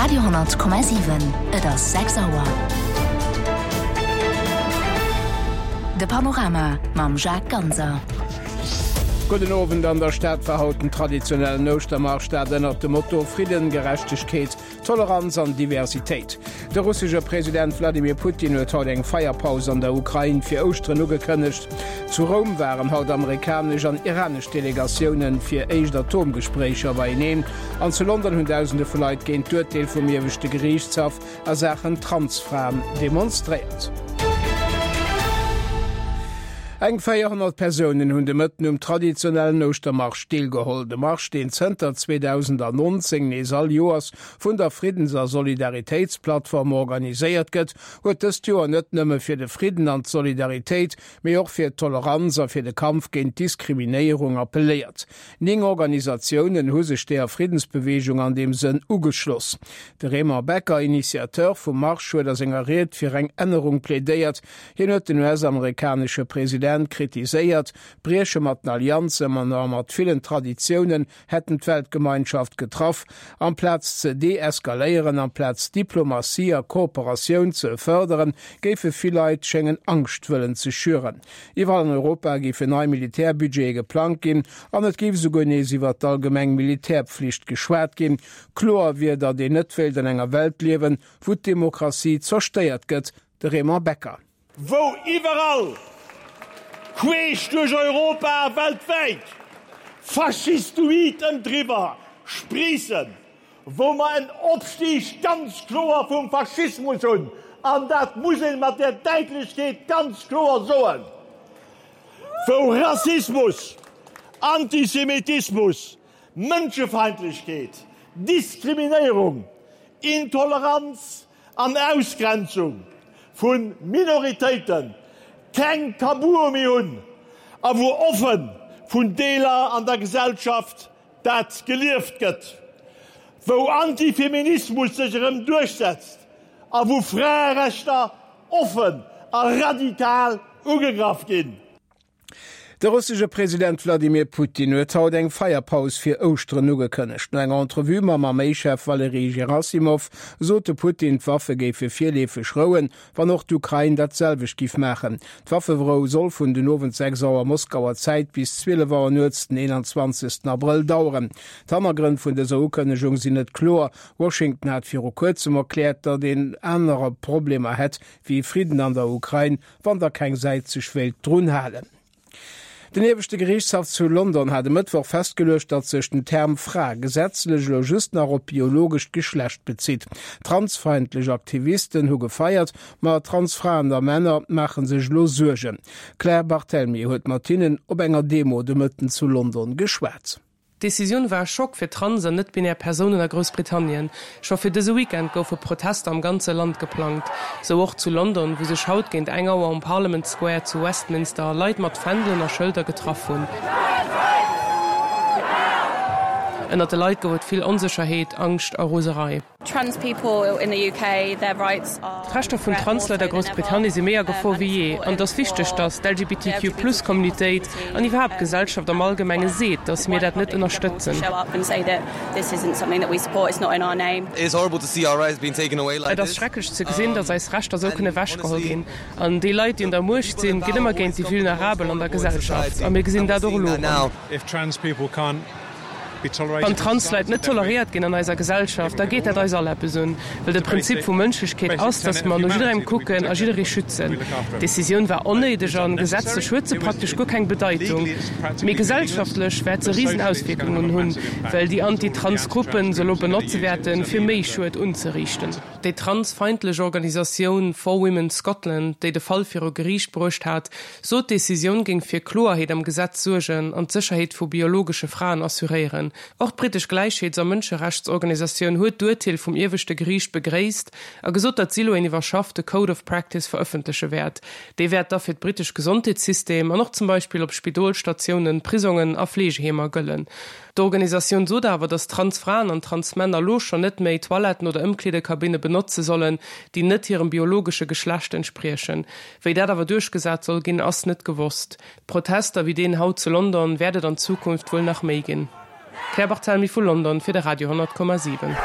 Radio 10,7 Et ass 6 Auer. De Panorama mam Jacques Ganser. Gudden Owend. An der Stad war haut den traditionellen Ouschtermarsch, dat ënnert dem Motto Fridden, Gerechtegkeet, Toleranz an Diversitéit. De russesche President Wladimir Putin huet haut eng Feierpaus an der Ukrain fir Ouschteren ugekënnegt. Zu Roum waren haut amerikanesch an iranesch Delegatioune fir éischt Atomgespréicher beieneen. An zu London hunn Dausende vu Leit géint d'Urteel vum ieweschte Geriichtshaff a Saachen Transfraen demonstréiert. Eng 400 Persounen hunn de Mëtten um traditionellen Ouschtermarsch deelgeholl. De Marsch, deen zënter 2019 nees all Joers vun der Friddens a Solidaritéitsplattform organiséiert gëtt, huet dëst Joer net nëmme fir de Fridden an d'Solidaritéit, mee och fir d'Toleranz a fir de Kampf géint d'Diskriminéierung appelléiert. Ning Organisatiounen hu sech deeër Friddensbeweegung an deem Sënn ugeschloss. De Raymond Becker, Initiateur vum Marsch, huet a senger Ried fir eng Ännerung plädéiert. Hien huet den US-amerikanesche President kritiséiert, d'Brieche mat den Allianzen a mat villen Traditiounen hätten d'Weltgemeinschaft getraff. Amplaz ze deeskaléieren, amplaz Diplomatie a Kooperatioun ze fërderen, géife vill Leit schéngen Angscht wëllen ze schüren. Iwwerall an Europa géifen nei Militärbudgete geplangt ginn an et géif esouguer nees iwwer d'allgemeng Militärpflicht geschwat ginn. Kloer wier, datt een net wéilt an enger Welt liewen, wou d'Demokratie zerstéiert gëtt. De Raymond Becker. Wou iwwerall, queesch duerch Europa a weltwäit, faschistoid Ëmdriwwer spriissen, wou mer en Opstig ganz kloer vum Faschismus hunn, an dat muss ee mat där Däitlechkeet ganz kloer soen, wou Rassismus, Antisemitismus, Mënschefeindlechkeet, Diskriminéierung, Intoleranz, an Ausgrenzung vu Minoritéite keng Tabue méi hunn a wou offe vun Deeler an der Gesellschaft dat gelieft gëtt, wou Antifeminismus sech erëm duerchsetzt a wou Fraerechter offen a radikal ugegraff ginn. De russesche President Wladimir Putin huet haut eng Feierpaus fir Ouschteren ugekënnegt. No enger Entrevue mam Arméichef Walerij Gerassimow sot de Putin, d'Waffe géife virleefeg rouen, wann och d'Ukrain dat selwecht giff maachen. D'Wafferou soll vun den Owend 6 Auer Moskauer Zäit bis 12 Auer nuets den 21 Abrëll daueren. D'Hannergrënn vun dëser Ukënnegung sinn net kloer. Washington hat viru kuerzem erkläert, datt een anerer Problemer hätt wéi Fridden an der Ukrain wann da keng Säit sech wéilt drun halen. Den ieweschte Geriichtshaff zu London hat e Mëttwoch festgeluecht, datt sech den Term Fra gesetzlech elo just nach op d'biologescht Geschlecht bezitt. Transfeindlech Aktivisten hu gefeiert, ma Transfraen a Männer maache sech elo Suergen. D'Claire Barthelmy huet mat hinnen op enger Demo de Mëtten zu London geschwat. D'Decisioun war e Schock fir trans an net-binär Persounen a Groussbritannien. Scho fir dëse Weekend goufe Protester am ganze Land geplangt. Sou och zu London, wou sech haut géint eng Auer um Parliament Square zu Westminster Leit mat Fändelen a Schëlder getraff hunn. Ënnert de Leit gouf et vill Onsécherheet, Angscht a Roserei. D'Rechter vun Transleit a Groussbritannien si méi a Gefor wéi jee an et ass wichteg, datt d'LGBTQ-Plus-Communitéit an iwwerhaapt d'Gesellschaft am Allgemenge seet, datt mir dat net ënnerstëtzen. Et ass schrecklech ze gesinn, datt eis Rechter esou kënne ewechgeholl ginn. An déi Leit, déi un der Muecht sinn, ginn ëmmer géint déi Vulnerabel an der Gesellschaft a mir gesinn dat och elo erëm. Wann Transleit net toleréiert ginn an eiser Gesellschaft, da geet dat eis all eppes un, well de Prinzip vu Mënschlechkeet ass, datt mer no jidderengem kucken a jidderee schützen. D'Decisioun war onnéideg an gesetzlech huet se praktesch guer keng Bedeitung, mee gesellschaftlech wäert se risen Auswierkungen hunn, well déi Anti-Trans-Gruppen se elo benotze wäerten, fir méi Schued unzeriichten. Déi transfeindlech Organisatioun For Women Scotland, déi de Fall viru Geriicht bruecht hat, sot, d'Decisioun géing fir Kloerheet am Gesetz suergen an d'Sécherheet vu biologesche Fraen assuréieren. Och d'brittesch Gläichheets a Mënscherechtsorganisatioun huet d'Urteel vum ieweschte Geriicht begréisst a gesot, datt si elo een iwwerschaffte Code of Practice verëffentleche wäert. Dee wäert da fir d'brittesch Gesondheetssystem an och zum Beispill op Spidolstatiounen, Prisongen a Fleegeheemer gëllen. D'Organisatioun sot awer, datt Transfraen an Transmänner elo schonn net méi Toiletten oder Ëmkleedekabinne benotze sollen, déi net hirem biologesche Geschlecht entspriechen. Wéi dat awer duerchgesat soll ginn, ass net gewosst. Protester wéi deen haut zu London wäert et an Zukunft wuel nach méi ginn. Claire Barthelmy vu London fir de Radio 10,7.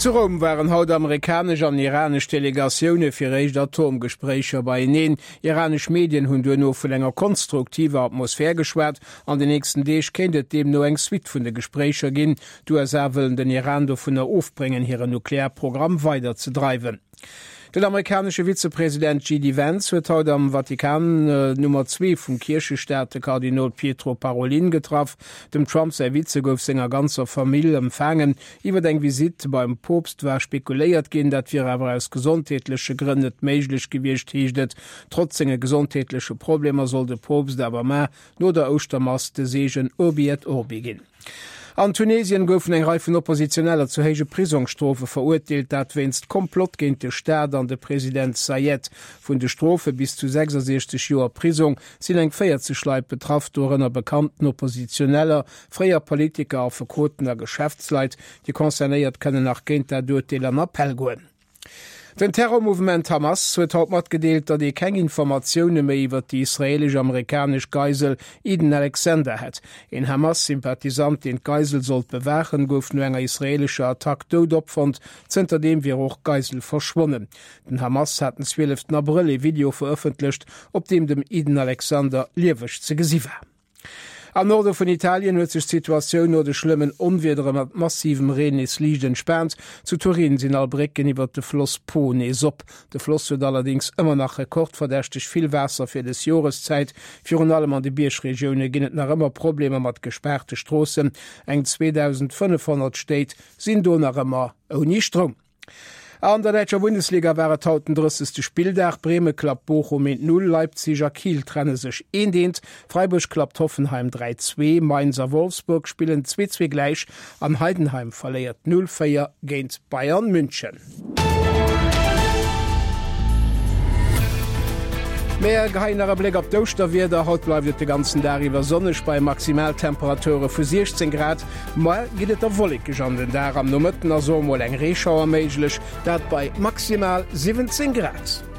Zu Roum waren haut amerikanesch an iranesch Delegatioune fir éischt Atomgespréicher beieneen. Iranesch Medien hunn duerno vun enger konstruktiver Atmosphär geschwat. An den nächsten Deeg kéint et deemno eng Suite vun de Gespréicher ginn. D'USA wëllen den Iran dovunner ofbréngen, hiren Nuklearprogramm weider ze dreiwen. Den amerikanesche Vizepresident JD Vance huet haut am Vatikan d'Nummer zwee vum Kierchestaat, de Kardinol Pietro Parolin, getraff. Dem Trump säi Vize gouf senger ganzer Famill empfaangen. Iwwer eng Visitt beim Poopst war spekuléiert ginn, dat wier awer aus gesondheetleche Grënn net méiglech gewiescht, heescht et. Trotz senge gesondheetleche Problemer soll de Poopst awer mar no der Ouschtermass de Seegen Urbi et Orbi ginn. An Tunesien goufen eng Rei vun Oppositioneller zu héije Prisongsstrofe verurteelt, dat wéinst Komplott géint de Staat an de President Saied. Vun de Strofe bis zu 66 Joer Prisong sinn eng 40 Leit betraff, dorënner bekannten Oppositioneller, fréier Politiker, Affekoten a Geschäftsleit. Déi Concernéiert kënnen nach géint dat Urteel an Appell goen. Den Terrormouvement Hamas huet haut matgedeelt, datt ee keng Informatioune méi iwwer déi israeelesch-amerikanesch Geisel Eden Alexander hätt. Een Hamas-Sympathisant, deen d'Geisel sollt bewaachen, gouf no enger israeelescher Attack dout opfonnt. Zënterdeem wier och d'Geisel verschwonnen. Den Hamas hat den 12 Abrëll ee Video verëffentlecht, op deem dem Eden Alexander lieweg ze gesi war. Am Norde vun Italien huet sech d'Situatioun no de schlëmmen Onwiedere mat massivem Reen nees liicht entspaant. Zu Turin sinn all Brécken iwwert de Floss Po nees op. De Floss huet allerdéngs ëmmer nach rekordverdächteg vill Waasser fir dës Joreszäit. Virun allem an de Biergregioune ginn et nach ëmmer Problemer mat gespaarte Stroossen. Eng 2.500 Stéit sinn do nach ëmmer ouni Stroum. An der däitscher Bundesliga war et haut den 30. Spilldag. Breme klappt Bochum 1, 0, Leipzig a Kiel trenne sech 1, 1, Freiburg klappt Hoffenheim 3, 2, Mainz a Wolfsburg spillen 2, 2 gläich an Heidenheim verléiert 0, 4 géint Bayern München. Mir geheien nach e Bléck op d'Ouschterwieder. Haut bleift et de ganzen Dag iwwer sonneg bei Maximaltemperature vu 16 Grad. Muer geet et da wollekeg an den Dag, am Nomëtten ass och mol eng Reeschauer méiglech, dat bei maximal 17 Grad.